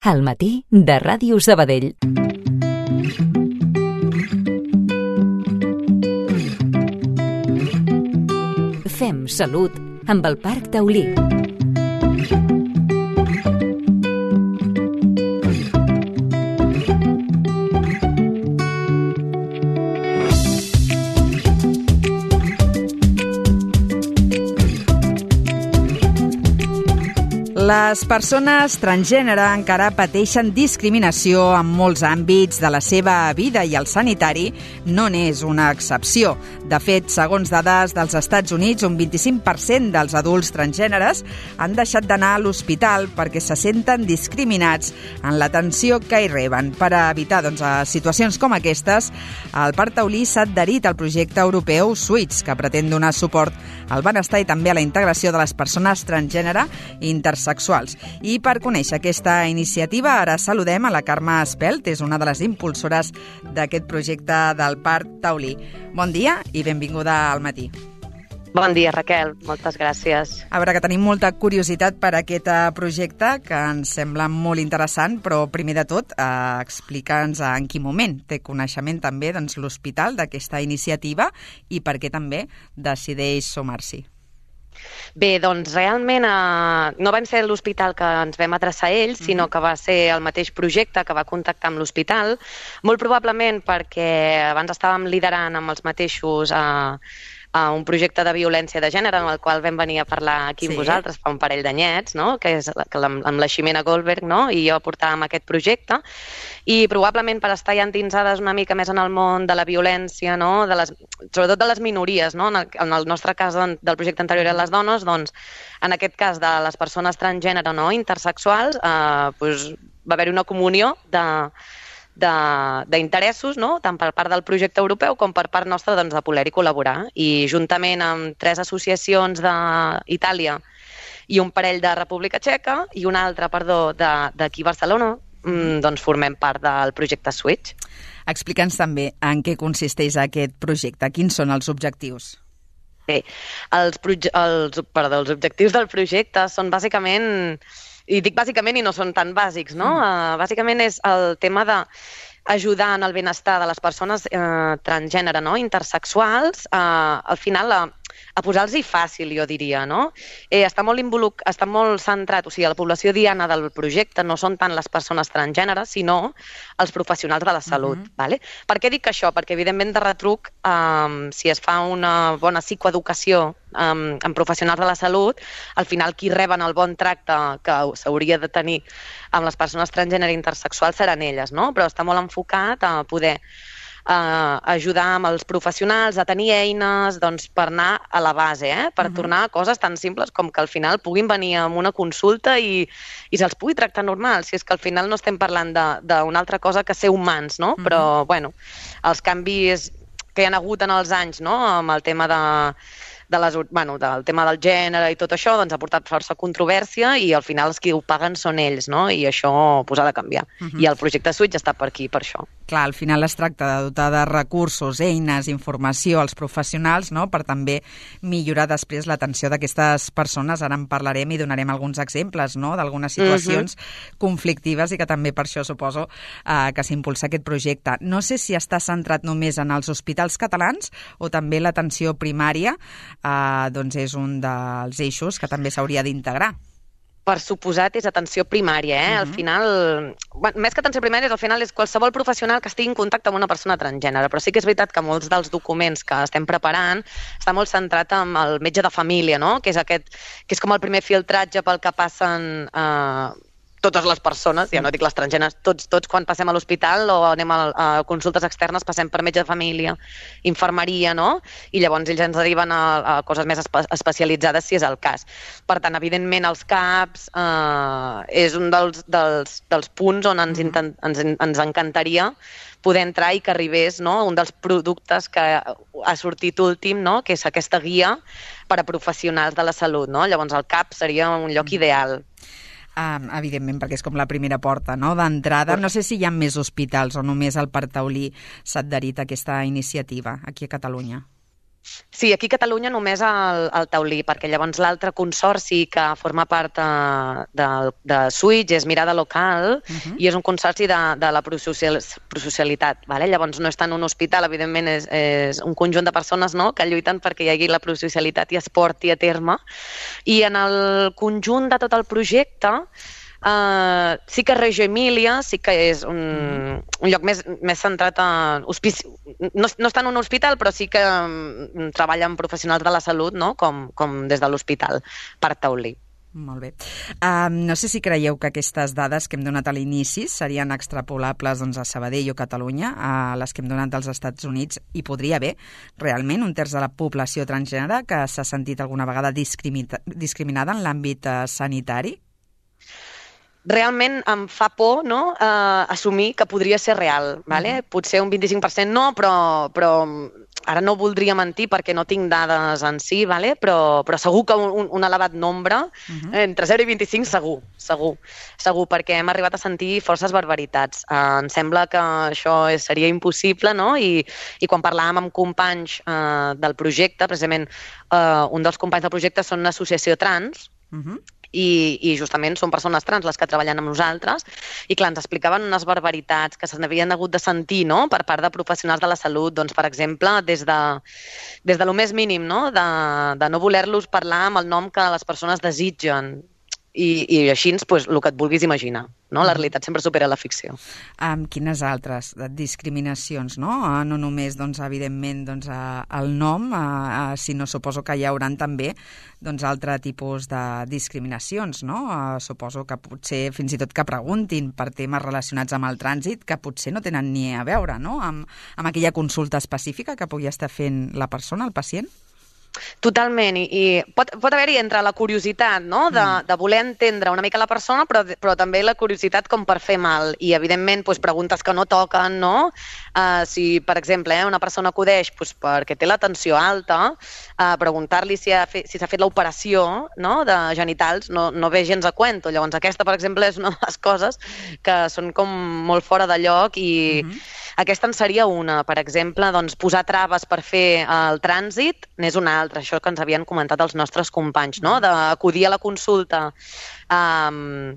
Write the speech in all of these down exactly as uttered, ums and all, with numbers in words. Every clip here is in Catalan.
Al matí de Ràdio Sabadell. Fem salut amb el Parc Taulí. Les persones transgènere encara pateixen discriminació en molts àmbits de la seva vida i el sanitari no n'és una excepció. De fet, segons dades dels Estats Units, un vint-i-cinc per cent dels adults transgèneres han deixat d'anar a l'hospital perquè se senten discriminats en l'atenció que hi reben. Per evitar doncs, situacions com aquestes, el Parc Taulí s'ha adherit al projecte europeu Switch, que pretén donar suport al benestar i també a la integració de les persones transgènere i intersexuals. I per conèixer aquesta iniciativa, ara saludem a la Carme Espelt, és una de les impulsores d'aquest projecte del Parc Taulí. Bon dia i benvinguda al matí. Bon dia, Raquel. Moltes gràcies. A veure, que tenim molta curiositat per aquest projecte, que ens sembla molt interessant, però primer de tot, eh, explica'ns en quin moment té coneixement també doncs, l'hospital d'aquesta iniciativa i per què també decideix sumar-s'hi. Bé, doncs realment eh, no vam ser l'hospital que ens vam adreçar a ells, sinó que va ser el mateix projecte que va contactar amb l'hospital, molt probablement perquè abans estàvem liderant amb els mateixos eh, a un projecte de violència de gènere en el qual vam venir a parlar aquí amb sí. vosaltres fa un parell d'anyets, no? que és que amb, amb la Ximena Goldberg, no? i jo portàvem aquest projecte, i probablement per estar ja endinsades una mica més en el món de la violència, no? de les, sobretot de les minories, no? en, el, en el nostre cas del projecte anterior eren les dones, doncs en aquest cas de les persones transgènere, no? intersexuals, eh, doncs, va haver-hi una comunió de d'interessos, no? tant per part del projecte europeu com per part nostra doncs, de poder-hi col·laborar. I juntament amb tres associacions d'Itàlia i un parell de República Txeca i una altra, perdó, d'aquí a Barcelona, doncs formem part del projecte Switch. Explica'ns també en què consisteix aquest projecte, quins són els objectius. Bé, els, els, perdó, els objectius del projecte són bàsicament... I dic bàsicament i no són tan bàsics, no? Mm. Uh, bàsicament és el tema d'ajudar en el benestar de les persones uh, transgènere, no? intersexuals, uh, al final a, a posar-los-hi fàcil, jo diria, no? Eh, està molt involuc... està molt centrat, o sigui, la població diana del projecte no són tant les persones transgèneres, sinó els professionals de la salut, mm-hmm. vale? Per què dic això? Perquè, evidentment, de retruc, um, si es fa una bona psicoeducació um, amb professionals de la salut, al final qui reben el bon tracte que s'hauria de tenir amb les persones transgènere i intersexuals seran elles, no? Però està molt enfocat a poder Uh, ajudar amb els professionals a tenir eines doncs, per anar a la base, eh? per uh-huh. tornar a coses tan simples com que al final puguin venir amb una consulta i, i se'ls pugui tractar normal, si és que al final no estem parlant d'una altra cosa que ser humans, no? Uh-huh. Però bueno, els canvis que hi ha hagut en els anys, no? amb el tema de de les, bueno, del tema del gènere i tot això, doncs ha portat força controvèrsia i al final els qui ho paguen són ells, no? I això pues, ha de canviar. Uh-huh. I el projecte Switch està per aquí, per això. Clar, al final es tracta de dotar de recursos, eines, informació als professionals, no? Per també millorar després l'atenció d'aquestes persones. Ara en parlarem i donarem alguns exemples, no? D'algunes situacions uh-huh. conflictives i que també per això suposo eh, que s'impulsa aquest projecte. No sé si està centrat només en els hospitals catalans o també l'atenció primària, Uh, doncs és un dels eixos que també s'hauria d'integrar. Per suposat és atenció primària, eh? Uh-huh. Al final, bueno, més que atenció primària, al final és qualsevol professional que estigui en contacte amb una persona transgènere, però sí que és veritat que molts dels documents que estem preparant està molt centrat en el metge de família, no? Que és aquest, que és com el primer filtratge pel que passen eh, totes les persones, ja no dic les transgèneres, tots, tots quan passem a l'hospital o anem a, a consultes externes passem per metge de família, infermeria, no? I llavors ells ens deriven a, a coses més espe especialitzades si és el cas. Per tant, evidentment, els CAPs eh, és un dels, dels, dels punts on ens, intent, ens, ens encantaria poder entrar i que arribés, no? Un dels productes que ha sortit últim, no? Que és aquesta guia per a professionals de la salut, no? Llavors el CAP seria un lloc ideal. Um, evidentment, perquè és com la primera porta, no? D'entrada. No sé si hi ha més hospitals o només el Parc Taulí s'ha adherit a aquesta iniciativa aquí a Catalunya. Sí, aquí a Catalunya només el, el taulí, perquè llavors l'altre consorci que forma part de, de, de Switch és Mirada Local uh-huh. i és un consorci de, de la prosocial, prosocialitat. Vale? Llavors no està en un hospital, evidentment és, és un conjunt de persones, no?, que lluiten perquè hi hagi la prosocialitat i es porti a terme. I en el conjunt de tot el projecte Uh, sí que Reggio Emília sí que és un, un lloc més, més centrat en hospici... No, no està en un hospital, però sí que um, treballa amb professionals de la salut, no?, com, com des de l'hospital, per taulí. Molt bé. Um, no sé si creieu que aquestes dades que hem donat a l'inici serien extrapolables doncs, a Sabadell o Catalunya, a les que hem donat dels Estats Units. Hi podria haver realment un terç de la població transgènere que s'ha sentit alguna vegada discrimina- discriminada en l'àmbit uh, sanitari? Realment em fa por, no?, eh, assumir que podria ser real. Vale? Uh-huh. Potser un vint-i-cinc per cent no, però, però ara no voldria mentir perquè no tinc dades en si, vale? però, però segur que un, un elevat nombre, uh-huh. entre zero i vint-i-cinc segur, segur, segur, perquè hem arribat a sentir forces barbaritats. Eh, em sembla que això és, seria impossible, no? I, i quan parlàvem amb companys eh, del projecte, precisament eh, un dels companys del projecte són una associació trans, uh-huh. I, i justament són persones trans les que treballen amb nosaltres i clar, ens explicaven unes barbaritats que se n'havien hagut de sentir, no?, per part de professionals de la salut, doncs per exemple des de, des de lo més mínim, no?, de, de no voler-los parlar amb el nom que les persones desitgen i, i així, pues, el que et vulguis imaginar, no? La realitat sempre supera la ficció. Um, quines altres discriminacions, no? Uh, no només, doncs, evidentment, doncs, uh, el nom, uh, uh, sinó suposo que hi haurà també doncs, altre tipus de discriminacions, no? Uh, suposo que potser fins i tot que preguntin per temes relacionats amb el trànsit que potser no tenen ni a veure, no?, amb, amb aquella consulta específica que pugui estar fent la persona, el pacient. Totalment, i, i pot, pot haver-hi entre la curiositat, no?, de, de voler entendre una mica la persona, però, però també la curiositat com per fer mal, i evidentment doncs, preguntes que no toquen, no? Uh, si, per exemple, eh, una persona acudeix doncs, perquè té la tensió alta, uh, preguntar-li si ha fet, si s'ha fet l'operació, no?, de genitals, no, no ve gens a cuento. Llavors aquesta, per exemple, és una de les coses que són com molt fora de lloc i uh-huh. aquesta en seria una. Per exemple, doncs, posar traves per fer el trànsit n'és una altra, això que ens havien comentat els nostres companys, no?, d'acudir a la consulta um,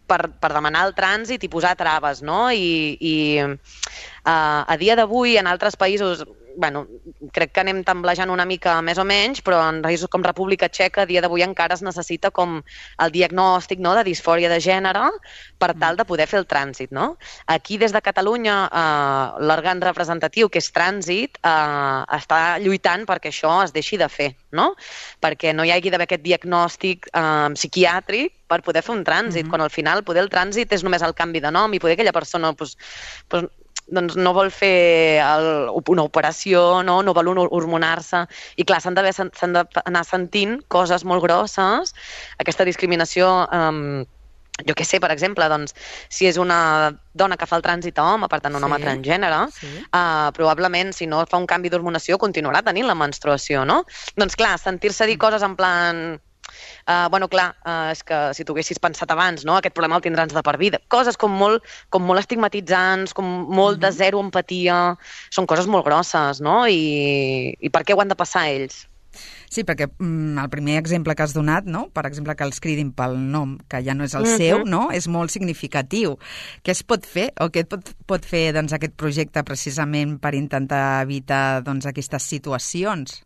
per, per demanar el trànsit i posar traves, no? I, i uh, a dia d'avui en altres països, bueno, crec que anem temblejant una mica més o menys, però en països com República Txeca a dia d'avui encara es necessita com el diagnòstic, no?, de disfòria de gènere per tal de poder fer el trànsit, no? Aquí des de Catalunya eh, l'òrgan representatiu, que és Trànsit, eh, està lluitant perquè això es deixi de fer, no? Perquè no hi hagi d'haver aquest diagnòstic eh, psiquiàtric per poder fer un trànsit, mm-hmm. quan al final poder el trànsit és només el canvi de nom i poder aquella persona pues, pues, doncs no vol fer el, una operació, no, no vol hormonar-se. I clar, s'han d'anar sentint coses molt grosses. Aquesta discriminació, um, jo què sé, per exemple, doncs, si és una dona que fa el trànsit a home, per tant un sí, home transgènere, sí. uh, probablement si no fa un canvi d'hormonació continuarà tenint la menstruació, no? Doncs clar, sentir-se dir coses en plan... Uh, bueno, clar, uh, és que si t'ho haguessis pensat abans, no? Aquest problema el tindràs de per vida. Coses com molt, com molt estigmatitzants, com molt de zero empatia, són coses molt grosses, no? I, i per què ho han de passar ells? Sí, perquè mm, el primer exemple que has donat, no? Per exemple, que els cridin pel nom, que ja no és el mm-hmm. seu, no? És molt significatiu. Què es pot fer, o què pot, pot fer doncs, aquest projecte precisament per intentar evitar doncs, aquestes situacions?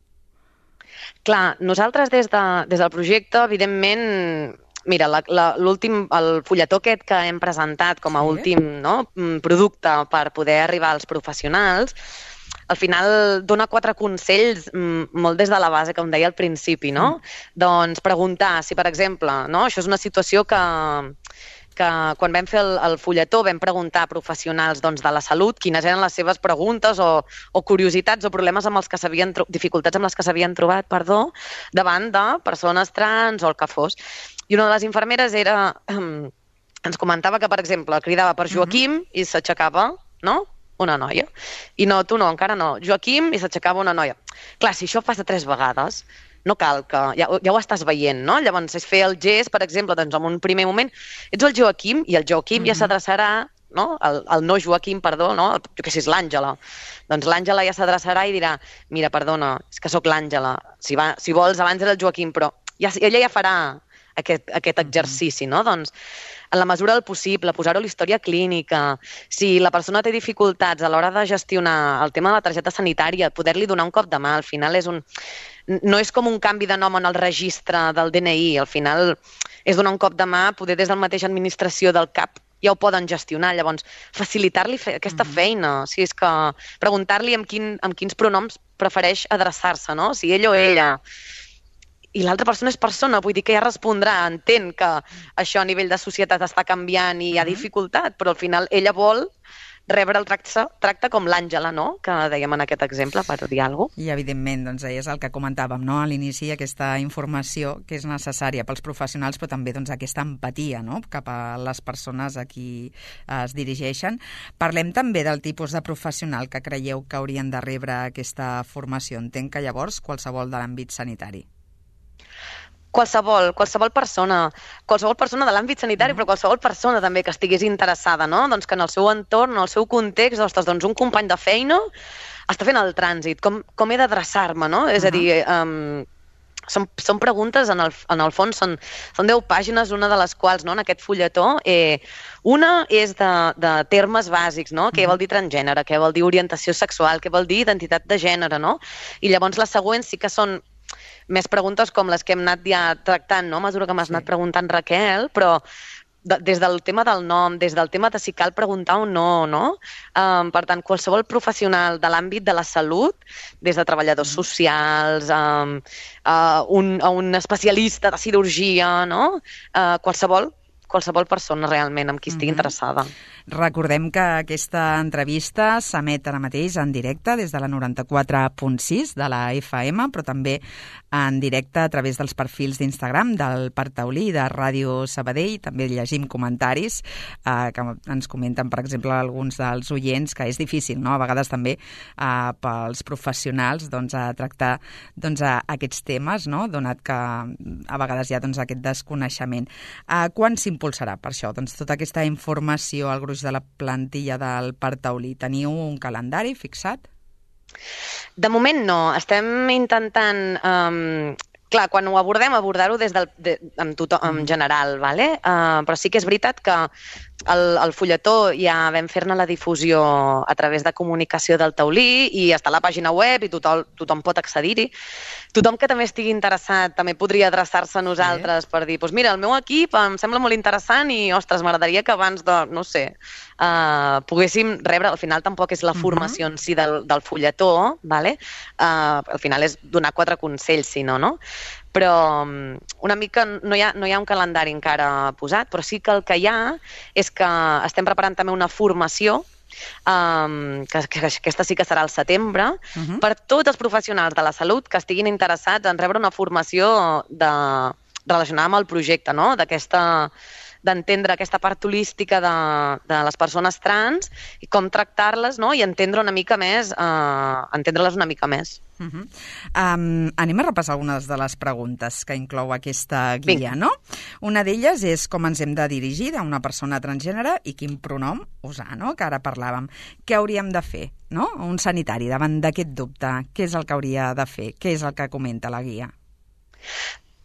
Clar, nosaltres des, de, des del projecte, evidentment, mira, la, la, l'últim, el fulletó aquest que hem presentat com a sí. últim, no, producte per poder arribar als professionals, al final dona quatre consells molt des de la base, com deia al principi, no? Mm. Doncs preguntar si, per exemple, no, això és una situació que... que quan vam fer el, el fulletó vam preguntar a professionals doncs, de la salut quines eren les seves preguntes o, o curiositats o problemes amb els que s'havien dificultats amb les que s'havien trobat, perdó, davant de persones trans o el que fos. I una de les infermeres era, um, ens comentava que, per exemple, cridava per Joaquim uh-huh. i s'aixecava, no?, una noia. I no, tu no, encara no. Joaquim i s'aixecava una noia. Clar, si això passa tres vegades, no cal que... Ja, ja ho estàs veient, no? Llavors és fer el gest, per exemple, doncs en un primer moment ets el Joaquim i el Joaquim mm-hmm. ja s'adreçarà no? El, el no Joaquim, perdó, no? Jo què sé, és l'Àngela. Doncs l'Àngela ja s'adreçarà i dirà, mira, perdona, és que sóc l'Àngela. Si, va, si vols, abans era el Joaquim, però ja, ella ja farà aquest, aquest exercici, no? Doncs, en la mesura del possible, posar-ho a la història clínica. Si la persona té dificultats a l'hora de gestionar el tema de la targeta sanitària, poder-li donar un cop de mà. Al final és un... no és com un canvi de nom en el registre del D N I. Al final és donar un cop de mà, poder des del mateix administració del C A P ja ho poden gestionar. Llavors, facilitar-li fe aquesta feina. O sigui, és que preguntar-li amb, quin, amb quins pronoms prefereix adreçar-se, no? Si ell o ella... I l'altra persona és persona, vull dir que ja respondrà, entén que això a nivell de societat està canviant i hi ha dificultat, però al final ella vol rebre el tracte, tracte com l'Àngela, no? Que dèiem en aquest exemple, per dir alguna cosa. I, evidentment, doncs, és el que comentàvem, no? A l'inici, aquesta informació que és necessària pels professionals, però també doncs, aquesta empatia, no? Cap a les persones a qui es dirigeixen. Parlem també del tipus de professional que creieu que haurien de rebre aquesta formació. Entenc que llavors qualsevol de l'àmbit sanitari. Qualsevol, qualsevol persona, qualsevol persona de l'àmbit sanitari, mm. però qualsevol persona també que estigués interessada, no? Doncs que en el seu entorn, en el seu context, ostres, doncs un company de feina està fent el trànsit, com, com he d'adreçar-me, no? És uh -huh. a dir, um, són, són preguntes, en el, en el fons, són, són deu pàgines, una de les quals, no, en aquest fulletó, eh, una és de, de termes bàsics, no? Què vol dir transgènere, què vol dir orientació sexual, què vol dir identitat de gènere, no? I llavors les següents sí que són més preguntes com les que hem anat ja tractant, no? A mesura que m'has sí. anat preguntant, Raquel, però de, des del tema del nom, des del tema de si cal preguntar o no, no? Um, per tant, qualsevol professional de l'àmbit de la salut, des de treballadors mm. socials, um, uh, un, un especialista de cirurgia, no? Uh, qualsevol, qualsevol persona realment amb qui estigui mm-hmm. interessada. Recordem que aquesta entrevista s'emet ara mateix en directe des de la noranta-quatre punt sis de la F M, però també en directe a través dels perfils d'Instagram del Parc Taulí i de Ràdio Sabadell. També llegim comentaris eh, que ens comenten, per exemple, alguns dels oients, que és difícil, no?, a vegades també eh, pels professionals doncs, a tractar doncs, a aquests temes, no?, donat que a vegades hi ha doncs, aquest desconeixement. Eh, quan s'impulsarà per això? Doncs tota aquesta informació al gruix de la plantilla del Parc Taulí. Teniu un calendari fixat? De moment no. Estem intentant... Um, clar, quan ho abordem, abordar-ho des del, de, en, tothom, en general, ¿vale? Uh, però sí que és veritat que el, el fulletó ja vam fer-ne la difusió a través de comunicació del Taulí i està a la pàgina web i tothom, tothom pot accedir-hi. Tothom que també estigui interessat també podria adreçar-se a nosaltres sí. per dir, doncs mira, el meu equip em sembla molt interessant i, ostres, m'agradaria que abans de, no sé, uh, poguéssim rebre, al final tampoc és la formació uh-huh. en si del, del fulletó, ¿vale? uh, al final és donar quatre consells, si no, no? Però una mica no hi ha, no hi ha un calendari encara posat, però sí que el que hi ha és que estem preparant també una formació Um, que, que aquesta sí que serà al setembre, uh-huh. per tots els professionals de la salut que estiguin interessats en rebre una formació de, relacionada amb el projecte, no? D'aquesta d'entendre aquesta part holística de, de les persones trans i com tractar-les, no? I entendre una mica més, uh, entendre-les una mica més. Uh-huh. um, anem a repassar algunes de les preguntes que inclou aquesta guia, Vinc. no? Una d'elles és com ens hem de dirigir a una persona transgènere i quin pronom usar, no? Que ara parlàvem. Què hauríem de fer, no? Un sanitari davant d'aquest dubte. Què és el que hauria de fer? Què és el que comenta la guia?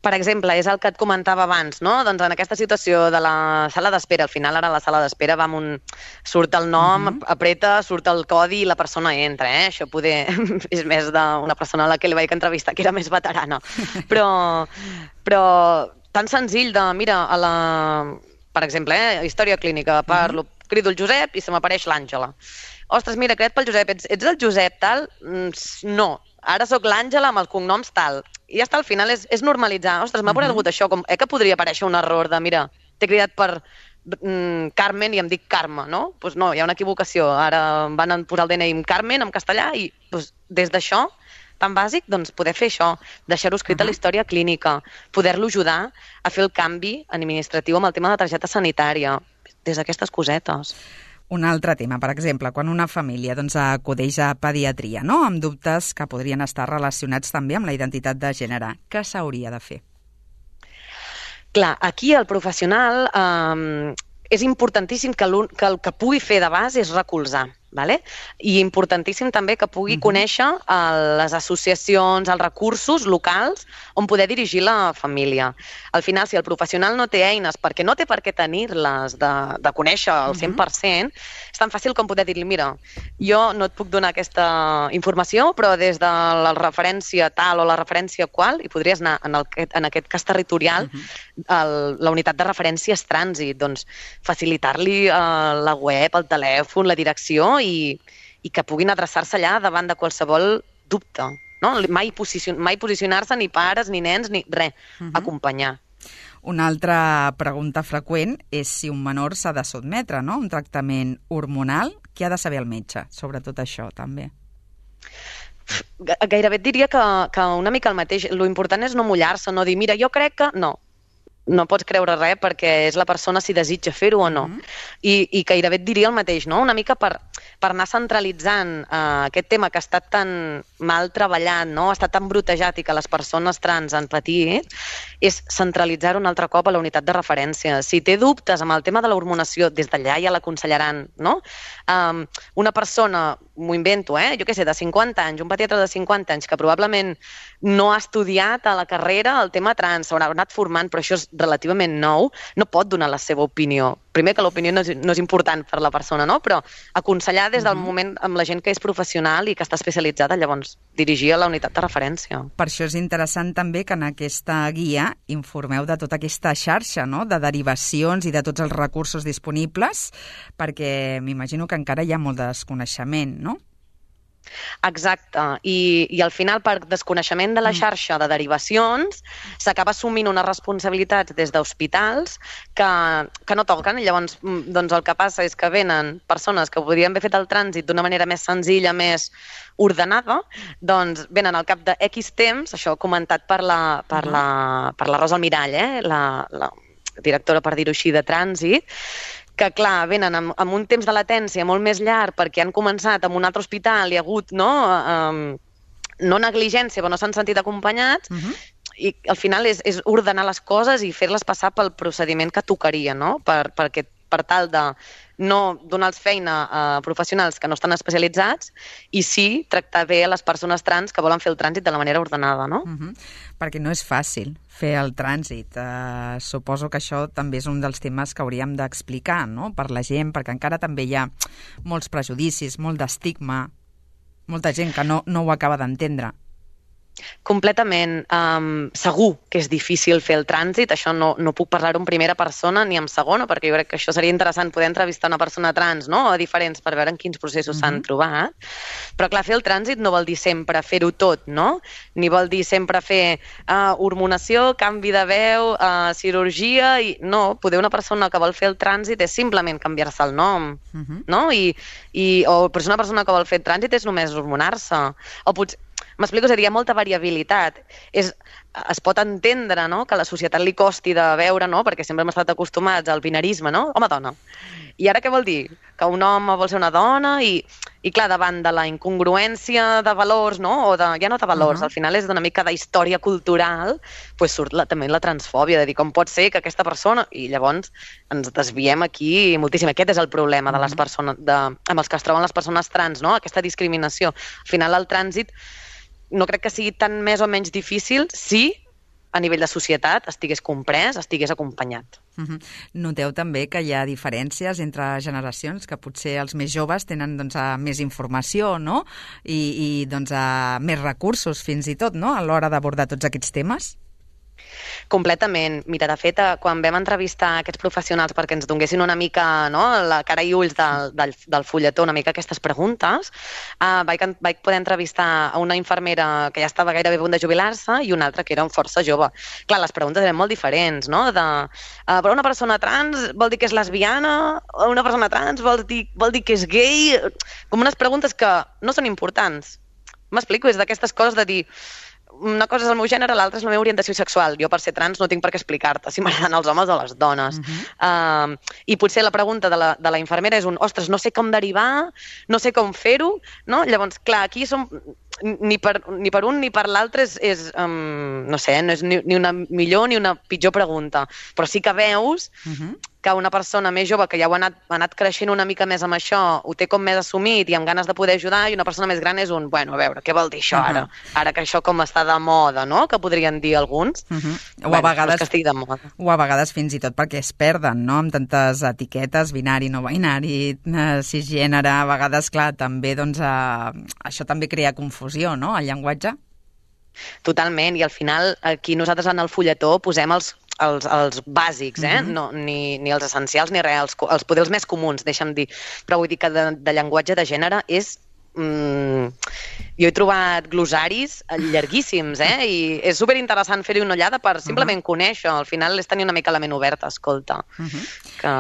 Per exemple, és el que et comentava abans, no? Doncs en aquesta situació de la sala d'espera, al final ara la sala d'espera va amb un... surt el nom, uh-huh. apreta, surt el codi i la persona entra, eh? Això poder... és més d'una persona a la que li vaig entrevistar, que era més veterana. Però, però tan senzill de, mira, a la... per exemple, eh? història clínica, parlo, uh-huh. crido el Josep i se m'apareix l'Àngela. Ostres, mira, creat pel Josep, ets, ets el Josep, tal? No, ara sóc l'Àngela amb els cognoms tal. I ja està, al final és, és normalitzar. Ostres, m'ha aparegut uh-huh. això, com, eh que podria aparèixer un error de, mira, t'he cridat per mm, Carmen i em dic Carme, no? Doncs pues no, hi ha una equivocació. Ara van posar el D N I en Carmen, en castellà, i pues, des d'això, tan bàsic, doncs poder fer això, deixar-ho escrit uh-huh. a la història clínica, poder-lo ajudar a fer el canvi administratiu amb el tema de la targeta sanitària, des d'aquestes cosetes. Un altre tema, per exemple, quan una família doncs, acudeix a pediatria, no?, amb dubtes que podrien estar relacionats també amb la identitat de gènere. Què s'hauria de fer? Clar, aquí el professional... Eh, és importantíssim que, que el que pugui fer de base és recolzar. Vale? I importantíssim també que pugui uh-huh. conèixer uh, les associacions, els recursos locals on poder dirigir la família. Al final, si el professional no té eines, perquè no té per què tenir-les de, de conèixer al cent per cent, uh-huh. és tan fàcil com poder dir-li, mira, jo no et puc donar aquesta informació, però des de la referència tal o la referència qual, i podries anar en, el, en aquest cas territorial, uh-huh. el, la unitat de referència és trànsit, doncs facilitar-li uh, la web, el telèfon, la direcció, I, i que puguin adreçar-se allà davant de qualsevol dubte. No? Mai, posicion, mai posicionar-se ni pares, ni nens, ni res. Uh-huh. Acompanyar. Una altra pregunta freqüent és si un menor s'ha de sotmetre, no? Un tractament hormonal. Què ha de saber el metge sobre tot això, també? Gairebé et diria que, que una mica el mateix. Lo important és no mullar-se, no dir, mira, jo crec que... No. No pots creure res perquè és la persona si desitja fer-ho o no. Mm-hmm. I, I gairebé et diria el mateix, no? Una mica per, per anar centralitzant uh, aquest tema que ha estat tan mal treballat, no? Ha estat tan brutejat i que les persones trans han patit, és centralitzar-ho un altre cop a la unitat de referència. Si té dubtes amb el tema de l'hormonació, des d'allà ja l'aconsellaran, no? Um, una persona, m'ho invento, eh? Jo què sé, de cinquanta anys, un pediatre de cinquanta anys que probablement no ha estudiat a la carrera el tema trans, s'haurà anat formant, però això és relativament nou, no pot donar la seva opinió. Primer que l'opinió no és, no és important per la persona, no? Però aconsellar des del uh-huh. moment amb la gent que és professional i que està especialitzada, llavors dirigir a la unitat de referència. Per això és interessant també que en aquesta guia informeu de tota aquesta xarxa, no? De derivacions i de tots els recursos disponibles, perquè m'imagino que encara hi ha molt de desconeixement, no? Exacte, I, i al final per desconeixement de la xarxa de derivacions s'acaba assumint unes responsabilitats des d'hospitals que, que no toquen, i llavors doncs el que passa és que venen persones que podrien haver fet el trànsit d'una manera més senzilla, més ordenada, doncs venen al cap de X temps, això comentat per la, per la, per la Rosa Almirall, eh? la, la directora, per dir-ho així, de trànsit, que, clar, venen amb, amb un temps de latència molt més llarg perquè han començat en un altre hospital i ha hagut, no, um, no negligència, però no s'han sentit acompanyats, uh-huh. i al final és, és ordenar les coses i fer-les passar pel procediment que tocaria, no? Per, perquè, per tal de no donar-los feina a professionals que no estan especialitzats i sí tractar bé a les persones trans que volen fer el trànsit de la manera ordenada, no? Uh-huh. Perquè no és fàcil fer el trànsit. Uh, suposo que això també és un dels temes que hauríem d'explicar, no?, per la gent, perquè encara també hi ha molts prejudicis, molt d'estigma, molta gent que no, no ho acaba d'entendre. Completament. Um, segur que és difícil fer el trànsit, això no, no puc parlar en primera persona ni en segona, perquè jo crec que això seria interessant poder entrevistar una persona trans, no?, o diferents, per veure en quins processos mm-hmm. s'han trobat. Però clar, fer el trànsit no vol dir sempre fer-ho tot, no? Ni vol dir sempre fer uh, hormonació, canvi de veu, uh, cirurgia, i no, poder una persona que vol fer el trànsit és simplement canviar-se el nom, mm-hmm. no? I, i, o per una persona que vol fer el trànsit és només hormonar-se, o potser m'explico, seria molta variabilitat. És, es pot entendre, no?, que a la societat li costi de veure, no?, perquè sempre hem estat acostumats al binarisme, no?, home-dona. I ara què vol dir? Que un home vol ser una dona i, i clar, davant de la incongruència de valors, no?, o de, ja no de valors, uh-huh. al final és d'una mica d'història cultural, pues surt la, també la transfòbia, de dir com pot ser que aquesta persona... I llavors ens desviem aquí moltíssim. Aquest és el problema uh-huh. de les persones, de, amb els que es troben les persones trans, no?, aquesta discriminació. Al final el trànsit no crec que sigui tan més o menys difícil si a nivell de societat estigués comprès, estigués acompanyat. Uh-huh. Noteu també que hi ha diferències entre generacions, que potser els més joves tenen doncs, més informació, no?, i, i doncs, més recursos fins i tot, no?, a l'hora d'abordar tots aquests temes? Completament. Mira, de fet, quan vam entrevistar aquests professionals perquè ens donessin una mica, no?, la cara i ulls del, del, del fulletó, una mica aquestes preguntes, uh, vaig, vaig poder entrevistar a una infermera que ja estava gairebé a punt de jubilar-se i una altra que era força jove. Clar, les preguntes eren molt diferents, no?, de, uh, però una persona trans vol dir que és lesbiana, o una persona trans vol dir, vol dir que és gay, com unes preguntes que no són importants. M'explico, és d'aquestes coses de dir una cosa és el meu gènere, l'altra és la meva orientació sexual. Jo, per ser trans, no tinc per què explicar-te si m'agraden els homes o les dones. Uh-huh. Uh, I potser la pregunta de la, de la infermera és un, ostres, no sé com derivar, no sé com fer-ho, no? Llavors, clar, aquí som... ni per, ni per un ni per l'altre és, és um, no sé, no és ni, ni una millor ni una pitjor pregunta, però sí que veus uh-huh. que una persona més jove que ja ho ha anat, ha anat creixent una mica més amb això, ho té com més assumit i amb ganes de poder ajudar, i una persona més gran és un, bueno, a veure, què vol dir això ara? Uh-huh. Ara que això com està de moda, no?, que podrien dir alguns. Uh-huh. O bueno, a vegades, que estigui de moda. O a vegades fins i tot perquè es perden, no?, amb tantes etiquetes, binari, no binari, eh, cisgènere, a vegades, clar, també, doncs, eh, això també crea confusió, no?, el llenguatge. Totalment, i al final aquí nosaltres en el fulletó posem els Els, els bàsics, eh? Mm-hmm. no, ni, ni els essencials ni res, els, els poders més comuns, deixa'm dir. Però vull dir que de, de llenguatge de gènere és... Mm, jo he trobat glossaris llarguíssims, eh? I és superinteressant fer-hi una ullada per simplement uh-huh. conèixer. Al final és tenir una mica la ment oberta, escolta, uh-huh. que,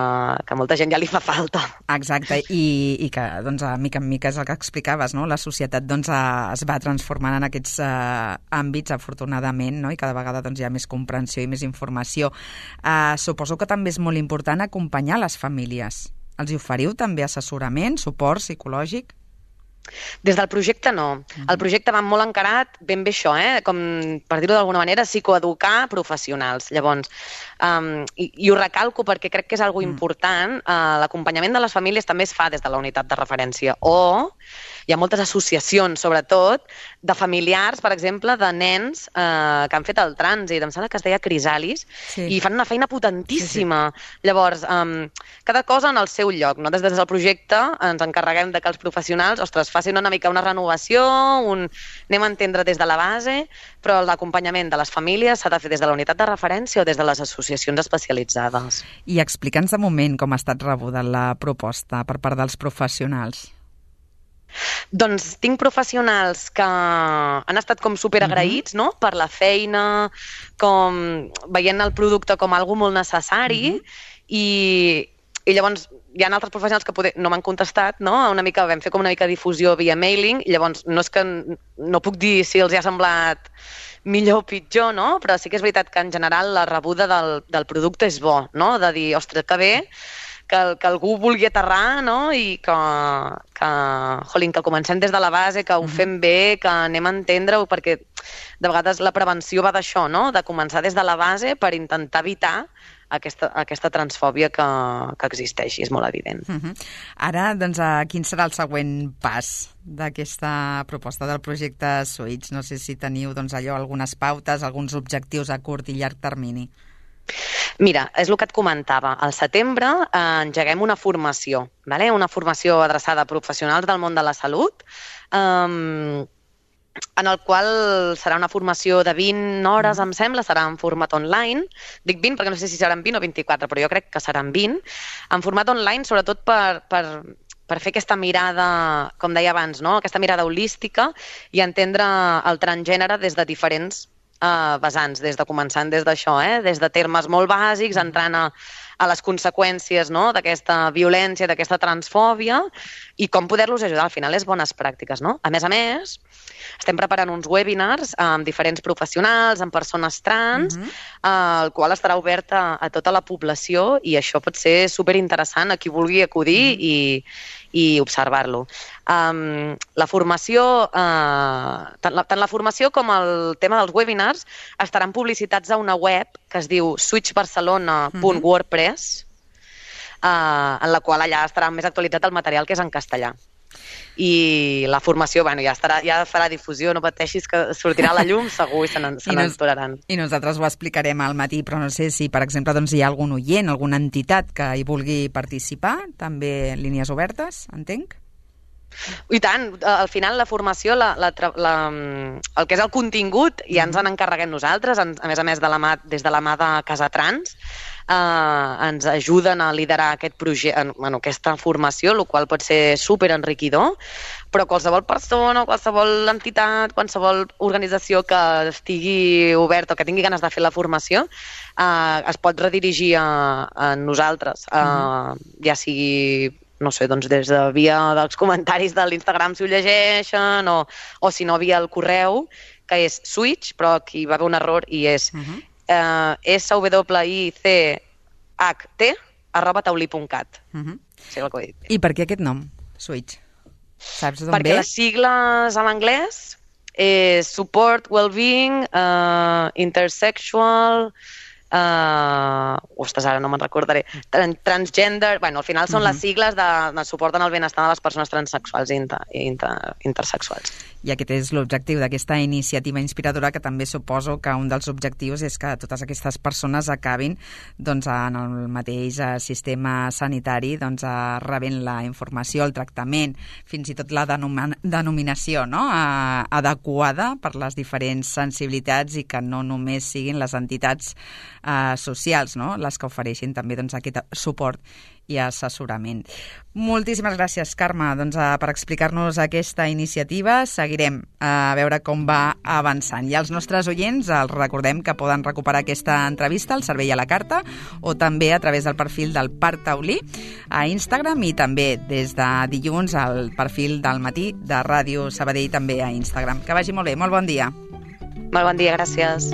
que molta gent ja li fa falta. Exacte, i, i que, doncs, a mica en mica és el que explicaves, no? La societat, doncs, es va transformant en aquests uh, àmbits, afortunadament, no? I cada vegada, doncs, hi ha més comprensió i més informació. Uh, suposo que també és molt important acompanyar les famílies. Els hi oferiu també assessorament, suport psicològic? Des del projecte no. El projecte va molt encarat, ben bé això, eh? Com, per dir-ho d'alguna manera, psicoeducar professionals. Llavors, um, i, i ho recalco perquè crec que és algo important, uh, l'acompanyament de les famílies també es fa des de la unitat de referència. O hi ha moltes associacions, sobretot, de familiars, per exemple, de nens eh, que han fet el trànsit, em sembla que es deia Crisalis, sí. I fan una feina potentíssima. Sí, sí. Llavors, um, cada cosa en el seu lloc, no? Des, des del projecte ens encarreguem de que els professionals, ostres, facin una mica una renovació, un... anem a entendre des de la base, però l'acompanyament de les famílies s'ha de fer des de la unitat de referència o des de les associacions especialitzades. I explica'ns de moment com ha estat rebuda la proposta per part dels professionals. Doncs tinc professionals que han estat com superagraïts, no?, per la feina, com veient el producte com algo molt necessari, uh-huh. i, i llavors hi ha altres professionals que poder, no m'han contestat, no?, una mica, vam fer com una mica de difusió via mailing, i llavors no és que no puc dir si els hi ha semblat millor o pitjor, no?, però sí que és veritat que en general la rebuda del, del producte és bo, no?, de dir, ostres, que bé, que, que algú vulgui aterrar, no?, i que, que, jolín, que comencem des de la base, que ho fem bé, que anem a entendre-ho, perquè de vegades la prevenció va d'això, no?, de començar des de la base per intentar evitar aquesta, aquesta transfòbia que, que existeix, i és molt evident. Uh-huh. Ara, doncs, quin serà el següent pas d'aquesta proposta del projecte Switch? No sé si teniu, doncs, allò, algunes pautes, alguns objectius a curt i llarg termini. Mira, és el que et comentava. Al setembre eh, engeguem una formació, vale? Una formació adreçada a professionals del món de la salut, eh, en el qual serà una formació de vint hores, em sembla, serà en format online. Dic vint perquè no sé si seran vint o vint-i-quatre, però jo crec que seran vint. En format online, sobretot per, per, per fer aquesta mirada, com deia abans, no?, aquesta mirada holística i entendre el transgènere des de diferents Uh, vessants, des de començant des d'això, eh? Des de termes molt bàsics, entrant a, a les conseqüències, no?, d'aquesta violència, d'aquesta transfòbia, i com poder-los ajudar. Al final és bones pràctiques, no? A més a més, estem preparant uns webinars amb diferents professionals, amb persones trans, uh-huh. uh, el qual estarà obert a, a tota la població, i això pot ser superinteressant a qui vulgui acudir uh-huh. i i observar-lo. Um, la formació, uh, tant, la, tant la formació com el tema dels webinars estaran publicitats a una web que es diu switch barcelona punt wordpress, uh, en la qual allà estarà més actualitzat el material que és en castellà. I la formació, bueno, ja, estarà, ja farà difusió, no pateixis, que sortirà a la llum segur i se n'enturaran. I nosaltres ho explicarem al matí, però no sé si, per exemple, doncs, hi ha algun oient, alguna entitat que hi vulgui participar, també línies obertes, entenc? I tant, al final la formació, la, la, la, el que és el contingut, ja ens en encarreguem nosaltres, a més a més de la mà, des de la mà de Casa Trans, eh, ens ajuden a liderar aquest projecte, bueno, aquesta formació, el qual pot ser superenriquidor, però qualsevol persona, qualsevol entitat, qualsevol organització que estigui oberta o que tingui ganes de fer la formació, eh, es pot redirigir a, a nosaltres, eh, uh-huh. ja sigui no sé, doncs des de via dels comentaris de l'Instagram si ho llegeixen, o, o si no via el correu, que és Switch, però aquí va haver un error i és uh-huh. eh, S W I C H T arroba taulí punt cat. Uh-huh. Sí, el que he dit. I per què aquest nom, Switch? Saps d'on Perquè ve? les sigles en anglès és support, well-being, uh, intersexual... Uh, ostres, ara no me'n recordaré. Tran transgender... Bueno, al final són uh-huh. les sigles de, de suport en el benestar de les persones transsexuals i inter inter intersexuals. I aquest és l'objectiu d'aquesta iniciativa inspiradora, que també suposo que un dels objectius és que totes aquestes persones acabin doncs, en el mateix sistema sanitari doncs, rebent la informació, el tractament, fins i tot la denominació no? uh, adequada per les diferents sensibilitats i que no només siguin les entitats uh, socials no? les que ofereixin també doncs, aquest suport i assessorament. Moltíssimes gràcies, Carme, doncs, per explicar-nos aquesta iniciativa. Seguirem a veure com va avançant. I als nostres oients els recordem que poden recuperar aquesta entrevista al Cervell a la Carta o també a través del perfil del Parc Taulí a Instagram i també des de dilluns al perfil del Matí de Ràdio Sabadell també a Instagram. Que vagi molt bé. Molt bon dia. Molt bon dia, gràcies.